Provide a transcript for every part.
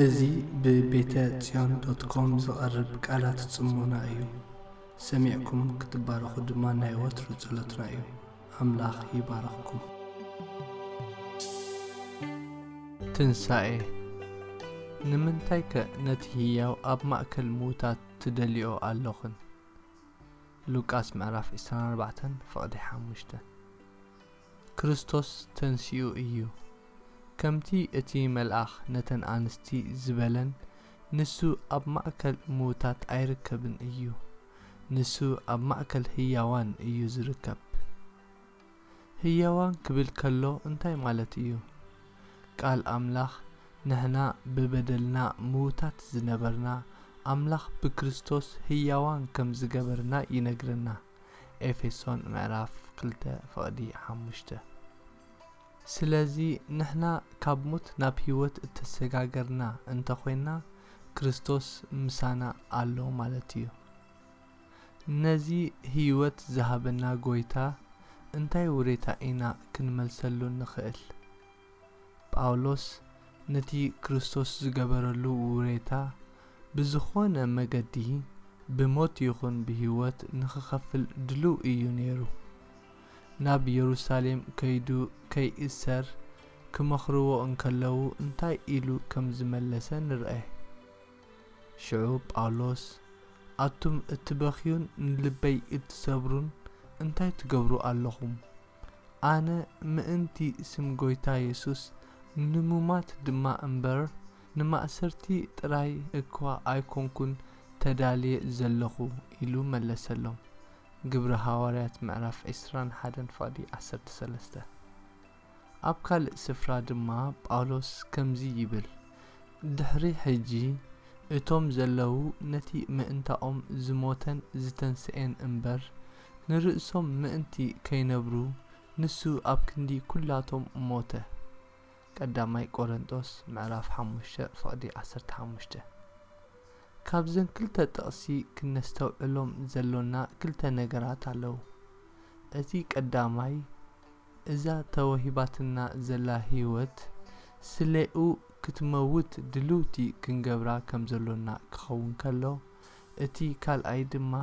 እዚ ብቤተ ጽዮን ዶት ኮም ዝቐርብ ቃላት ጽሞና እዩ። ሰሚዕኩም ክትባረኹ ድማ ናይ ወትሩ ጸሎትና እዩ። ኣምላኽ ይባርኽኩም። ትንሳኤ። ንምንታይከ ነቲ ህያው ኣብ ማእከል ምዉታት ትደልዮ ኣሎኽን? ሉቃስ ምዕራፍ ዕስራን ኣርባዕተን ፍቕዲ ሓሙሽተ። ክርስቶስ ተንሲኡ እዩ። ከምቲ እቲ መልኣኽ ነተን ኣንስቲ ዝበለን፣ ንሱ ኣብ ማእከል ምዉታት ኣይርከብን እዩ። ንሱ ኣብ ማእከል ህያዋን እዩ ዝርከብ። ህያዋን ክብል ከሎ እንታይ ማለት እዩ? ቃል ኣምላኽ፣ ንሕና ብበደልና ምዉታት ዝነበርና፣ ኣምላኽ ብክርስቶስ ህያዋን ከም ዝገበርና ይነግረና። ኤፌሶን ምዕራፍ ክልተ ፍቕዲ ሓሙሽተ። ስለዚ ንሕና ካብ ሞት ናብ ህይወት እተሰጋገርና እንተኾይና፣ ክርስቶስ ምሳና ኣሎ ማለት እዩ። ነዚ ህይወት ዝሃበና ጎይታ እንታይ ውሬታ ኢና ክንመልሰሉ ንኽእል? ጳውሎስ ነቲ ክርስቶስ ዝገበረሉ ውሬታ ብዝኾነ መገዲ ብሞት ይኹን ብህይወት ንኽኸፍል ድሉው እዩ ነይሩ። ናብ የሩሳሌም ከይዱ ከይእሰር ክመኽርዎ እንከለዉ እንታይ ኢሉ ከም ዝመለሰ ንርኣይ። ሽዑ ጳውሎስ፣ ኣቱም እትበኽዩን ንልበይ እትሰብሩን እንታይ ትገብሩ ኣለኹም? ኣነ ምእንቲ ስም ጎይታ የሱስ ንሙማት ድማ እምበር ንማእሰርቲ ጥራይ እኳ ኣይኮንኩን ተዳልየ ዘለኹ ኢሉ መለሰሎም። ግብሪ ሃዋርያት ምዕራፍ ዕስራን ሓደን ፍቕዲ ዓሰርተ ሰለስተ። ኣብ ካልእ ስፍራ ድማ ጳውሎስ ከምዚ ይብል፣ ድሕሪ ሕጂ እቶም ዘለዉ ነቲ ምእንታኦም ዝሞተን ዝተንስኤን እምበር ንርእሶም ምእንቲ ከይነብሩ ንሱ ኣብ ክንዲ ኩላቶም ሞተ። ቀዳማይ ቆረንጦስ ምዕራፍ ሓሙሽተ ፍቕዲ ዓሰርተ ሓሙሽተ። ካብዘን ክልተ ጥቕሲ ክነስተውዕሎም ዘሎና ክልተ ነገራት ኣለዉ። እቲ ቀዳማይ፣ እዛ ተወሂባትና ዘላ ህይወት ስሌኡ ክትመውት ድልውቲ ክንገብራ ከም ዘሎና ክኸውን ከሎ፣ እቲ ካልኣይ ድማ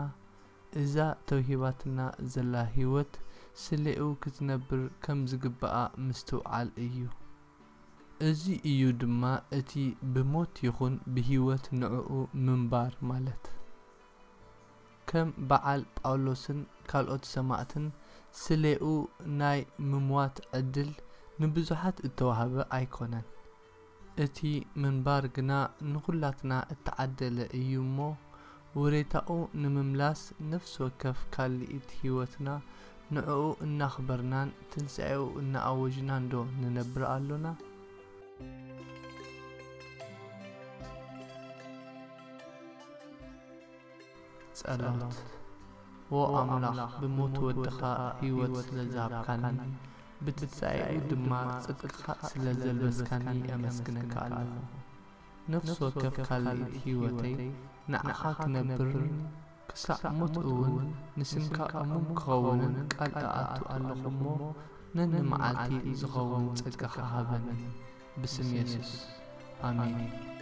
እዛ ተውሂባትና ዘላ ህይወት ስሌኡ ክትነብር ከም ዝግብኣ ምስትውዓል እዩ። እዚ እዩ ድማ እቲ ብሞት ይኹን ብህይወት ንዕኡ ምንባር ማለት። ከም በዓል ጳውሎስን ካልኦት ሰማእትን ስሌኡ ናይ ምምዋት ዕድል ንብዙሓት እተዋህበ ኣይኮነን። እቲ ምንባር ግና ንኹላትና እተዓደለ እዩ እሞ፣ ውሬታኡ ንምምላስ ነፍሲ ወከፍ ካልኢት ህይወትና ንዕኡ እናኽበርናን ትንሳኤኡ እናኣወጅናን ዶ ንነብር ኣሎና? ጸሎት። ዎ ኣምላኽ፣ ብሞት ወድኻ ህይወት ስለ ዝሃብካኒ፣ ብትንሳኤኡ ድማ ጽድቅኻ ስለ ዘልበስካኒ የመስግነካ ኣለኹ። ነፍሲ ወከፍ ካልኢት ህይወተይ ንዓኻ ክነብርን ክሳዕ ሞት እውን ንስምካ እሙን ክኸውንን ቃል እኣቱ ኣለኹ እሞ፣ ነንመዓልቲ ዝኸውን ጸጋኻ ሃበኒ። ብስም የሱስ፣ ኣሜን።